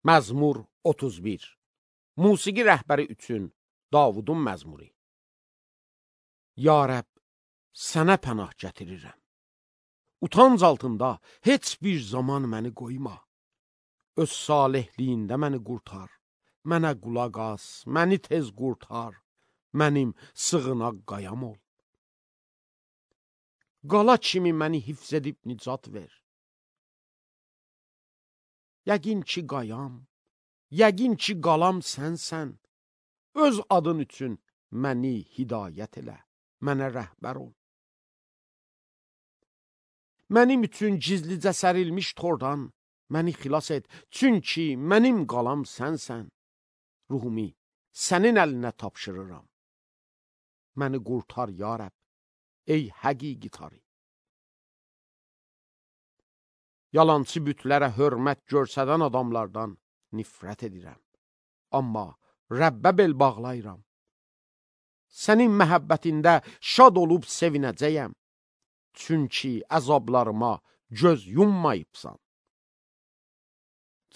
Məzmur 31. Musiqi rəhbəri üçün Davudun məzmuri. Ya Rəbb, sənə pənah gətirirəm. Utanc altında heç bir zaman məni qoyma. Öz salihliyində məni qurtar. Mənə qulaq as, məni tez qurtar. Mənim sığınaq qayam ol. Qala kimi məni hifz edib nicat ver. Yəqin ki qayam, yəqin ki qalam sənsən. Öz adın üçün məni hidayət elə, mənə rəhbər ol. Mənim üçün gizlicə sərilmiş tordan məni xilas et, çünki mənim qalam sənsən. Ruhumu sənin əlinə tapşırıram. Məni qurtar ya Rəbb, ey həqiqi tarı. Yalançı bütlərə hörmət görsədən adamlardan nifrət edirəm. Amma Rəbbə bel bağlayıram. Sənin məhəbbətində şad olub sevinəcəyəm. Çünki əzablarıma göz yummayıbsan.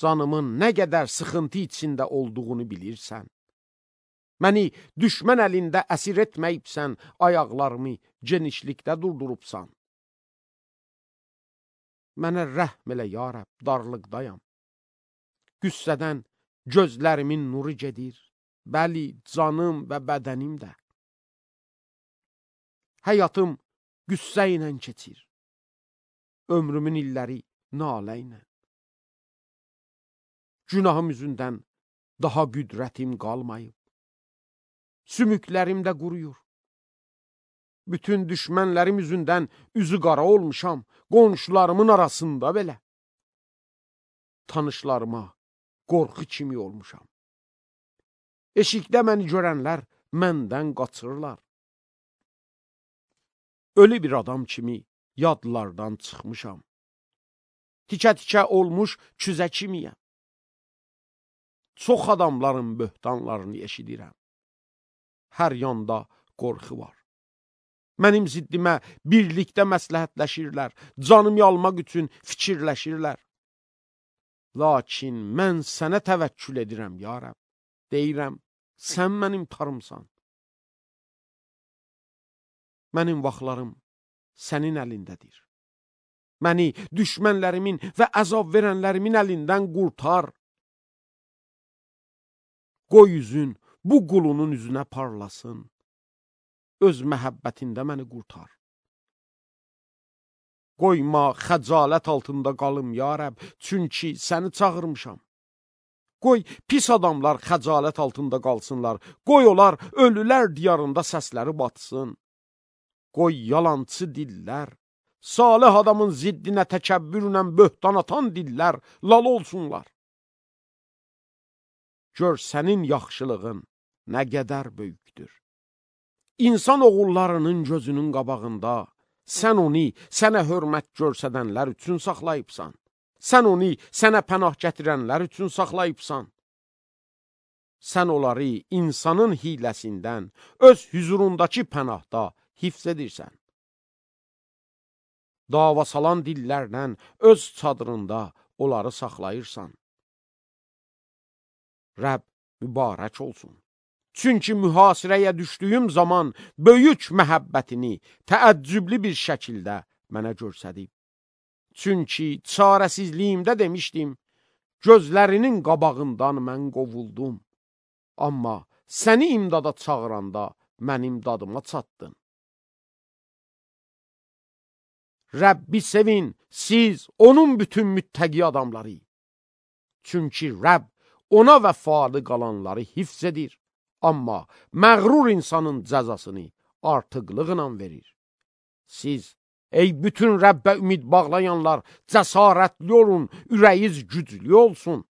Canımın nə qədər sıxıntı içində olduğunu bilirsən. Məni düşmən əlində əsir etməyibsən, ayaqlarımı genişlikdə durdurubsan. Mənə rəhm elə ya Rəbb, darlıqdayam. Qüssədən gözlərimin nuru gedir, bəli, canım və bədənim də. Həyatım qüssə ilə keçir, ömrümün illəri nalə ilə. Günahım üzündən daha qüdrətim qalmayıb. Sümüklərim də quruyur. Bütün düşmənlərim üzündən üzü qara olmuşam, qonşularımın arasında belə. Tanışlarıma qorxu kimi olmuşam. Eşikdə məni görənlər məndən qaçırlar. Ölü bir adam kimi yadlardan çıxmışam. Tikə-tikə olmuş küzə kimiyəm. Çox adamların böhtanlarını eşidirəm. Hər yanda qorxu var. Mənim ziddimə birlikdə məsləhətləşirlər, canımı almaq üçün fikirləşirlər. Lakin mən sənə təvəkkül edirəm, ya Rəbb. Deyirəm, sən mənim tarımsan. Mənim vaxtlarım sənin əlindədir. Məni düşmənlərimin və əzab verənlərimin əlindən qurtar. Qoy üzün bu qulunun üzünə parlasın. Öz məhəbbətində məni qurtar. Qoyma xəcalət altında qalım, ya Rəbb, çünki səni çağırmışam. Qoy pis adamlar xəcalət altında qalsınlar. Qoy onlar ölülər diyarında səsləri batsın. Qoy yalançı dillər, salih adamın ziddinə təkəbbürlə böhtan atan dillər lal olsunlar. Gör sənin yaxşılığın nə qədər böyükdür. İnsan oğullarının gözünün qabağında sən onu sənə hörmət görsədənlər üçün saxlayıbsan. Sən onu sənə pənah gətirənlər üçün saxlayıbsan. Sən onları insanın hiləsindən öz hüzurundakı pənahda hifz edirsən. Dava salan dillərlə öz çadırında onları saxlayırsan. Rəbb mübarək olsun. Çünki mühasirəyə düşdüyüm zaman böyük məhəbbətini təəccüblü bir şəkildə mənə görsədib. Çünki çarəsizliyimdə demişdim, gözlərinin qabağından mən qovuldum. Amma səni imdada çağıranda mənim dadıma çatdın. Rəbbi sevin, siz onun bütün müttəqi adamları. Çünki Rəbb ona vəfalı qalanları hifz edir. Amma məğrur insanın cəzasını artıqlıqla verir. Siz, ey bütün Rəbbə ümid bağlayanlar, cəsarətli olun, ürəyiz güclü olsun.